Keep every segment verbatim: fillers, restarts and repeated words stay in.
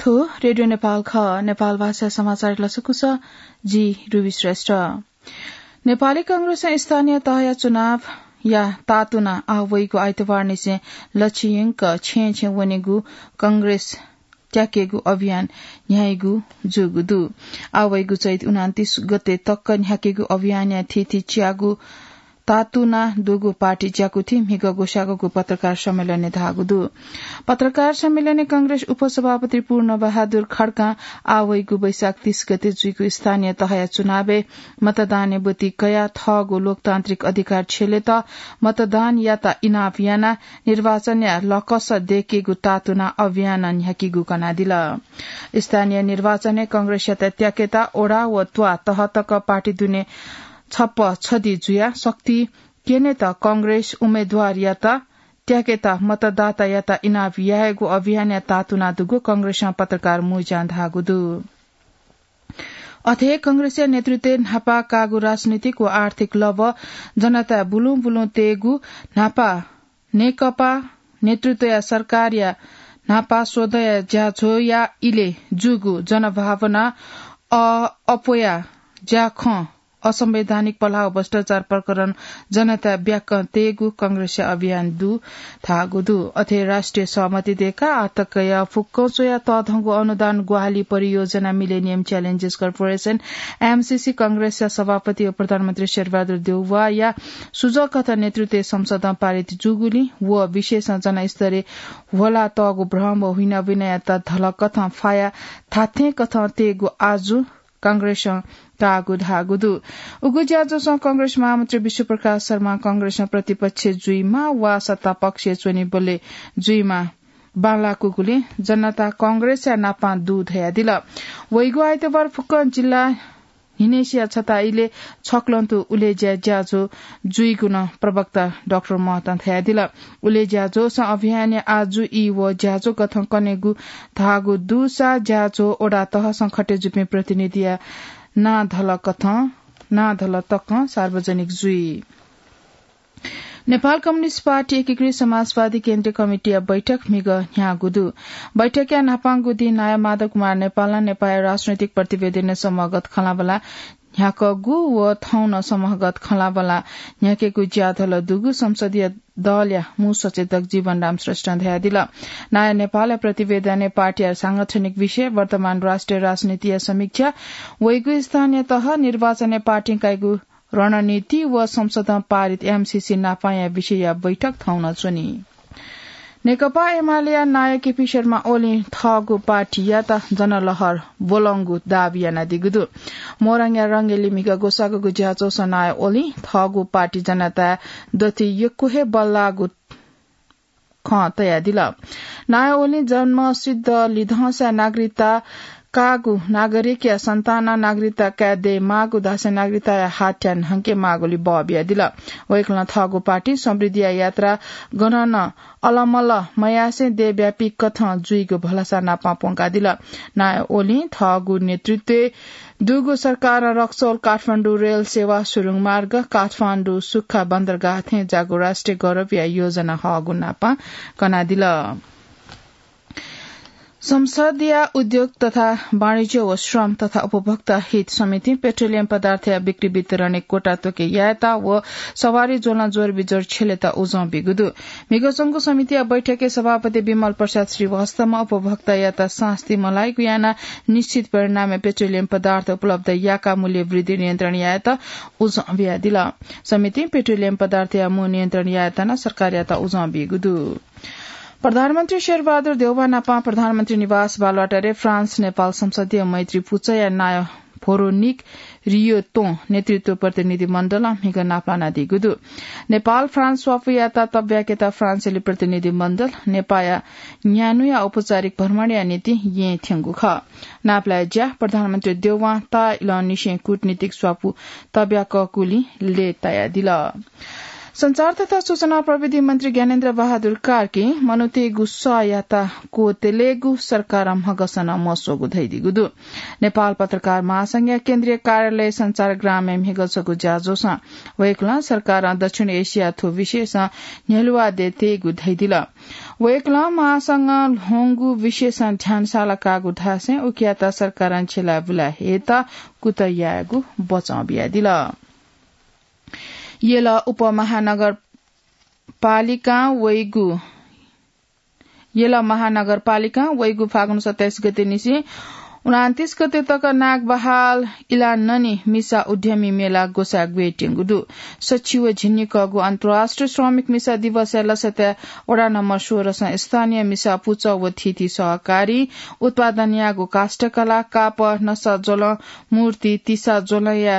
थ्व रेडियो नेपाल खः। नेपाल भाषा समाचार लसकुस, जि रुबी श्रेष्ठ। नेपाली कांग्रेसं स्थानीय तहया चुनावया तातुना आः वइगु आइतबार निसें लछियंक छेँ छेँ वनेगु कांग्रेस त्याकेगु अभियान न्ह्याइगु जूगु दु। आः वइगु चैत उनान्तीस गते तक न्ह्याकेगु अभियानया थीथी च्यागू तातुना दुगु पार्टी ज्याकुथि म्हिगः ग्वसाःगु पत्रकार सम्मेलनय् धाःगु दु। पत्रकार सम्मेलनय् कांग्रेस उपसभापति पूर्ण बहादुर खड्कां आः वइगु वैशाख तीस गते जुइगु स्थानीय तहया चुनावय् मतदानय् ब्वति कयाः थःगु लोकतान्त्रिक अधिकार छ्यलेत मतदान यात इनाप यानाः निर्वाचनया लकस दय्केगु तातुना अभियान न्ह्याकीगु कनादिल। स्थानीय निर्वाचनय् कांग्रेसयात त्याकेत ओडा व त्वाः तह तक पार्टी दुने छप्पा छधी जुयाः शक्ति क्यनेत कांग्रेस उम्मेद्वारयात त्याकेत मतदातायात इनाप यायेगु अभियानया तातुना दुगु कांग्रेसं पत्रकार मुँज्यां धाःगु दु। अथे कांग्रेसया नेतृत्वय् न्हापा काःगु राजनीतिक व आर्थिक लभ्व जनताय् बुलुं बुलुं तयेगु न्हापा नेकपा नेतृत्वया सरकारया न्हापा स्वदँया ज्याझ्वःया इलय् जूगु जनभावना अ-, अप्वया ज्याखँ असंवैधानिक पलाः व भ्रष्टाचार प्रकरण जनताय् ब्याकं तयेगु कांग्रेसया अभियान दु धाःगु दु। अथे राष्ट्रिय सहमति दय्काः आःतकया फुक्कं च्वया तःधंगु अनुदान ग्वाहालि परियोजना मिलेनियम च्यालेन्जेस कर्पोरेसन, एमसीसी, कांग्रेसया सभापति व प्रधानमन्त्री शेरबहादुर देउवाया सुझाव कथं नेतृत्वय् संसदं पारित जूगुलिं व विषयसं जनस्तरय् ह्वला तःगु भ्रम व हुइनाबिनायात धलकथं फाया धात्थें कथं तयेगु आजु कांग्रेसं काःगु धाःगु दु। उगु ज्याझ्वलय् कांग्रेस महामन्त्री विश्वप्रकाश शर्मा कांग्रेसं प्रतिपक्ष जुइमा वा सत्तापक्षय् च्वनीबलय् जुइमा बांलाकूगुलिं जनता कांग्रेसया नापां दु धयादिल। वइगु आइतबार फुक्कं जिल्ला न्हिनेसिया छता इलय् छक्लंतु उलेज्या ज्याझ्वः जुइगु नं प्रवक्ता डाक्टर महतं धयादिल। उलेज्या ज्याझ्वलय् अभियानया आजु ई व ज्याझ्वः कथं कनेगु धाःगु दुसा ज्याझ्वः ओडा तहसं खटे जूपिं प्रतिनिधिया नां धलकथं, नां धलतकं सार्वजनिक जुइ। नेपाल कम्युनिस्ट पार्टी एकीकृत समाजवादी केन्द्रीय कमिटीया बैठक म्हिगः न्ह्याःगु दु। बैठकया न्हापांगु दिं नायः माधव कुमार नेपालं नेपाःया राजनैतिक प्रतिवेदनय् समूहगत खँल्हाबल्हा न्ह्याकूगु व थौं नं समूहगत खँल्हाबल्हा न्ह्याकेगु ज्याझ्वलय् दुगु संसदीय दलया मू सचेतक जीवनराम श्रेष्ठं धयादिल। नायः नेपालया प्रतिवेदनय् पार्टीया सांगठनिक विषय, वर्तमान राष्ट्रिय राजनीतिया समीक्षा, वइगु स्थानीय तह निर्वाचनय् पार्टीं काइगु रणनीति व संसदं पारित एमसीसी नापांया विषयया बैठक थौं नं च्वनी। नेकपा एमालेया नायः केपी शर्मा ओलीं थःगु पार्टीयात जनलहर ब्वलंगु दाबी यानादीगु दु। मोरङया रंगेली म्हिगः ग्वसाःगु ज्याझ्वलय् नायः ओलीं थःगु पार्टी जनताय् दथुइ यक्व हे बल्लाःगु खँ तयादिल। नायः ओलीं जन्मसिद्ध लिधंसा नागरिकता काःगु नागरिकया सन्तानं नागरिकता काये दयेमाःगु धासें नागरिकताया हाथ्या न्हंके माःगुलि बः बियादिल। वय्कलं थःगु पार्टी समृद्धिया यात्रा गनं नं अलमल मयासें देशव्यापी कथं जुइगु भलसा नापं प्वंकादिल। नायः ओलीं थःगु नेतृत्वय् दुगु सरकारं रक्सौल काठमाडौं रेल सेवा, सुरुङ मार्ग, काठमाडौं सुख्खा बन्दरगाह थें ज्याःगु राष्ट्रिय गौरवया योजना हःगु नापं कनादिल। संसदया उद्योग तथा वाणिज्य व श्रम तथा उपभोक्ता हित समितिं पेट्रोलियम पदार्थया बिक्री वितरणय् कोटा त्वके यायेत व सवारी ज्वलं ज्वरविज्वर छ्यलेत उजं बीगु दु। म्हिगः च्वंगु समितिया बैठकय् सभापति विमल प्रसाद श्रीवास्तवं उपभोक्तायात सास्ती मलाइगु यानाः निश्चित परिणामय् पेट्रोलियम पदार्थ उपलब्ध याकाः मूल्य वृद्धि नियन्त्रण यायेत उजं बियादिल। समितिं पेट्रोलियम पदार्थया मू नियन्त्रण यायेत नं सरकारयात उजं बीगु दु। प्रधानमन्त्री शेरबहादुर देउवा नापं प्रधानमन्त्री निवास बालुवाटारय् फ्रान्स नेपाल संसदीय मैत्री पुचःया नायः भोरोनिक रियोतों नेतृत्व प्रतिनिधि मण्डलं म्हिगः नापलानादीगु दु। नेपाल फ्रान्स स्वापूयात तब्याकेत फ्रान्सेली प्रतिनिधि मण्डल नेपाःया न्यान्हुया औपचारिक भ्रमणया निंतिं येँ थ्यंगु खः। नापलाये ज्या प्रधानमन्त्री देउवां ताःइलंनिसें कूटनीतिक स्वापू तब्याकःगुलिं लय्तायादिल। सञ्चार तथा सूचना प्रविधि मन्त्री ज्ञानेन्द्र बहादुर कार्कीं मनूतय्गु सःयात क्वत्यलेगु सरकारं म्हगसं नं मस्वःगु धयादीगु दु। नेपाल पत्रकार महासंघया केन्द्रीय कार्यालय सञ्चारग्रामय् म्हिगः छगू ज्याझ्वलय् वय्कलं सरकारं दक्षिण एसियां थ्व विषयसं न्ह्यलुवा दयेत्यंगु धयादिल। वय्कलं महासंघं ल्ह्वंगु विषयसं ध्यान साला काःगु धासें उकियात सरकारं छेला बुला हयेत कुतः यायेगु बचं बियादिल। यल उपमहानगरपालिकां वइगु यल महानगरपालिकां वइगु फागुन सत्ताइस गते निसें उनान्तिस गते तक नागबहाल इलाननी मिसा उद्यमी मेला ग्वसाः ग्वयेत्यंगु दु। सछि व झिंनिकःगु अन्तर्राष्ट्रिय श्रमिक मिसा दिवसया लसताय् वडा नम्बर सोह्रसं स्थानीय मिसा पुचः व थीथी सहकारी, उत्पादन याःगु काष्ठकला, कापः, नसा ज्वलं, मूर्ति, तिसा ज्वलंया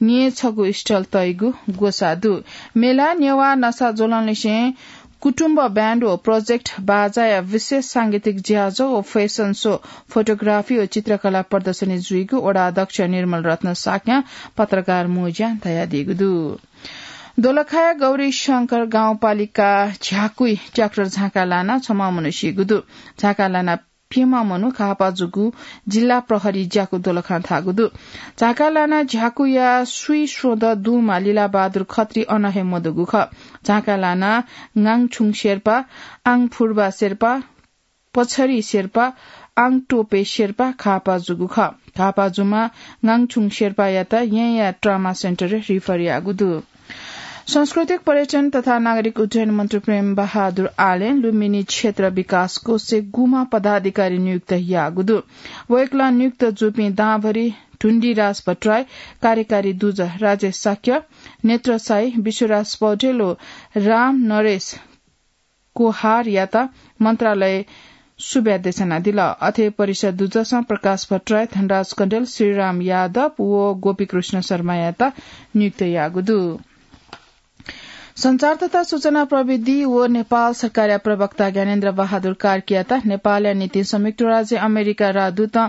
न्येछगू स्टल तइगु ग्वसाः दु। मेला नेवाः नसा ज्वलंलिसें कुटुम्ब ब्याण्ड व प्रोजेक्ट बाजाया विशेष सांगीतिक ज्याझ्वः व फ्यासन शो, फोटोग्राफी व चित्रकला प्रदर्शनी जुइगु वडा अध्यक्ष निर्मल रत्न शाक्यं पत्रकार मोज्यां धयादीगु दु। दोलखाया गौरीशंकर गाउँपालिका झ्याकुइ ट्र्याक्टर झाँका लानाः छम्ह मनू सीगु दु। झाँका लानाः प्यम्ह मनू घाःपाः जूगु जिल्ला प्रहरी ज्याकू दोलखां धाःगु दु। झाँका लानाः झ्याकुया स्वीस्वदँ दुम्ह लीलाबहादुर खत्री अन हे मदुगु खः। झाँका लानाः ङाङछुङ शेर्पा, आङफुर्बा शेर्पा, पछरी शेर्पा, आङटोपे शेर्पा घाःपाः जूगु खः। घाःपाः जूम्ह ङाङछुङ शेर्पायात येँया ट्रमा सेन्टरय् रिफर याःगु दु। सांस्कृतिक पर्यटन तथा नागरिक उड्डयन मन्त्री प्रेम बहादुर आलें लुम्बिनी क्षेत्र विकास कोषय् गुम्ह पदाधिकारी नियुक्त याःगु दु। वय्कलं नियुक्त जूपिं दांभरि ढुण्डिराज भट्टराई, कार्यकारी दुजः राजेश शाक्य, नेत्र साई, विश्वराज पौडेल व राम नरेश कोहारयात मन्त्रालय सुब्या देछानादिल। अथे परिषद दुजसं प्रकाश भट्टराई, धनराज कण्डेल, श्रीराम यादव व गोपीकृष्ण शर्मायात नियुक्त याःगु दु। संचार तथा सूचना प्रविधि व नेपाल सरकारया प्रवक्ता ज्ञानेन्द्र बहादुर कार्कीयात नेपालया निंतिं संयुक्त राज्य अमेरिका राजदूतं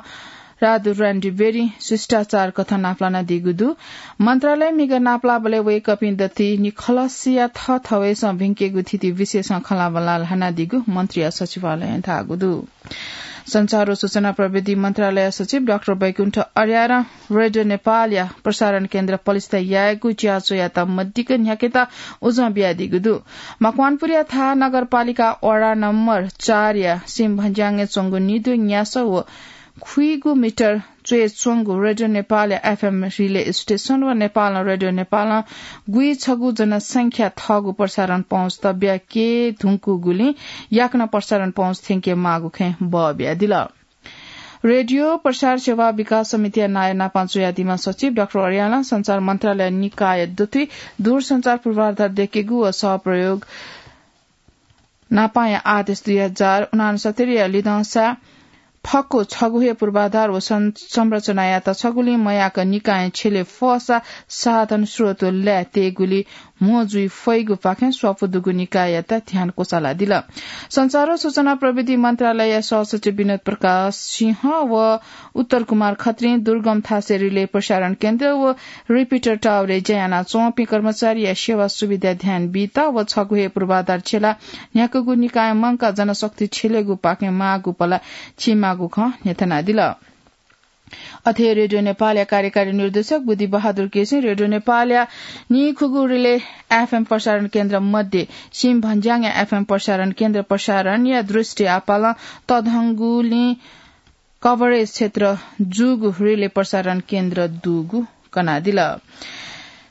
राजदूत र्यान्डी बेरी शिष्टाचार कथं नापलानादीगु दु। मन्त्रालयं म्हिगः नापलाःबलय् वय्कःपिं दथुइ निखलसया थःथवय्सं भिंकेगु थीथी विषयसं खँल्हाबल्हा ल्हानादीगु मन्त्रीया सचिवालयं धाःगु दु। संचार व सूचना प्रविधि मन्त्रालय सचिव डाक्टर वैकुण्ठ अर्यालं रेडियो नेपालया प्रसारण केन्द्र पलिस्था यायेगु ज्याझ्वःयात मदिक्क न्ह्याकेत उजं बियादीगु दु। मकवानपुरया थाहा नगरपालिका वडा नम्बर चारया सिमभंज्याङय् च्वंगु निदँ न्यासः व खुइगू मिटर च्वय् च्वंगु रेडियो नेपालया एफएम रिले स्टेशन व नेपालं रेडियो नेपालं गुइछगू जनसंख्या थःगु प्रसारण पहुँच तब्याके धुंकूगुलिं याकनं प्रसारण पहुँच थ्यंके माःगु खँय् बः बियादिल। रेडियो प्रसार सेवा विकास समितिया नायः नापं च्वयादीम्ह सचिव डाक्टर अर्यालं संचार मन्त्रालय निकाय दथुइ दूरसंचार पूर्वाधार दयेकेगु व सहप्रयोग नापांया आदेश दुई हजार उनान्सत्तरीया लिधंसा फक्व छगू हे पूर्वाधार व सं-, संरचनायात छगुलिं मयाक निकायं छ्यले फःसा साधन स्रोत व ल्याः तयेगुली म्हो जुइ फइगुपाखें स्वापू दुगु निकाययात ध्यान क्वचालादिल। संचार व सूचना प्रविधि मन्त्रालयया सहसचिव विनोद प्रकाश सिंह व उत्तर कुमार खत्रीं दुर्गम थासय् रिले प्रसारण केन्द्र व रिपिटर टावरय् ज्या यानाच्वंपिं कर्मचारीया सेवा सुविधाय् ध्यान बीत व छगू हे पूर्वाधार छ्यला न्ह्याकूगु निकायं मंकाः जनशक्ति छ्यलेगुपाखें माःगु पला चीमाःगु खँ न्ह्यथनादिल। अथे रेडियो नेपालया कार्यकारी निर्देशक बुद्धि बहादुर केसीं रेडियो नेपालया नीखुगू रिले एफएम प्रसारण केन्द्र मध्ये सिमभंज्याङया एफएम प्रसारण केन्द्र प्रसारणया दृष्टि आपालं तःधंगुलिं कभरेज क्षेत्र जूगु रिले प्रसारण केन्द्र दुगु कनादिल।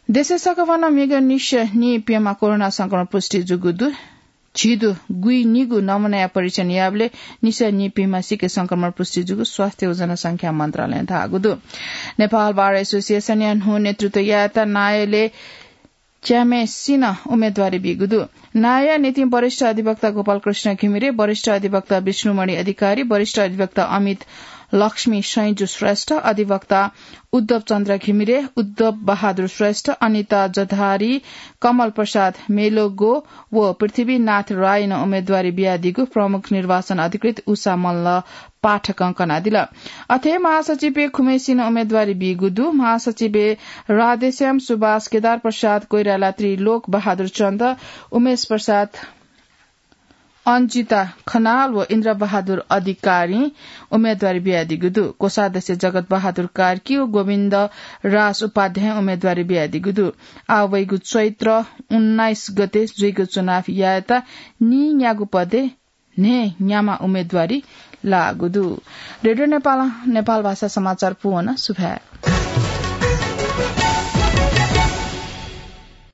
देशय् सकभनं म्हिगः निसः नीप्यम्ह कोरोना संक्रमण पुष्टि जूगु दु। झिदु गुइ निगू नमुनाया परीक्षण याःबलय् निसः नीप्यम्हसिके संक्रमण पुष्टि जूगु स्वास्थ्य व जनसंख्या मन्त्रालयं धाःगु दु। नेपाल बार एसोसिएसनया न्हू नेतृत्व यायेत नायःलय् च्याम्हय्सिनं उम्मेदवारी बीगु दु। नायःया निंतिं वरिष्ठ अधिवक्ता गोपालकृष्ण घिमिरे, वरिष्ठ अधिवक्ता विष्णुमणि अधिकारी, वरिष्ठ अधिवक्ता अमित लक्ष्मी सैंजु श्रेष्ठ, अधिवक्ता उद्धव चन्द्र घिमिरे, उद्धव बहादुर श्रेष्ठ, अनिता जधारी, कमल प्रसाद मेलोगो व पृथ्वीनाथ रायनं उम्मेदवारी बियादीगु प्रमुख निर्वाचन अधिकृत उषा मल्ल पाठकं कनादिल। अथे महासचिवय् खुम्हय्सिनं उम्मेदवारी बीगु दु। महासचिवय् राधेश्याम सुभाष, केदार प्रसाद कोइराला, त्रिलोक बहादुर चन्द, उमेश प्रसाद, अञ्जिता खनाल व इन्द्र बहादुर अधिकारीं उम्मेदवारी बियादीगु दु। कोषाध्यक्ष जगत बहादुर कार्की व गोविन्द राज उपाध्यायं उम्मेदवारी बियादीगु दु। आः वइगु चैत्र उन्नाइस गते जुइगु चुनाव यायेत नीन्यागू पदय् न्हय् न्याम्ह उम्मेदवारी लाःगु दु। रेडियो नेपालं नेपाल भाषा समाचार पूवन। सुभाय्।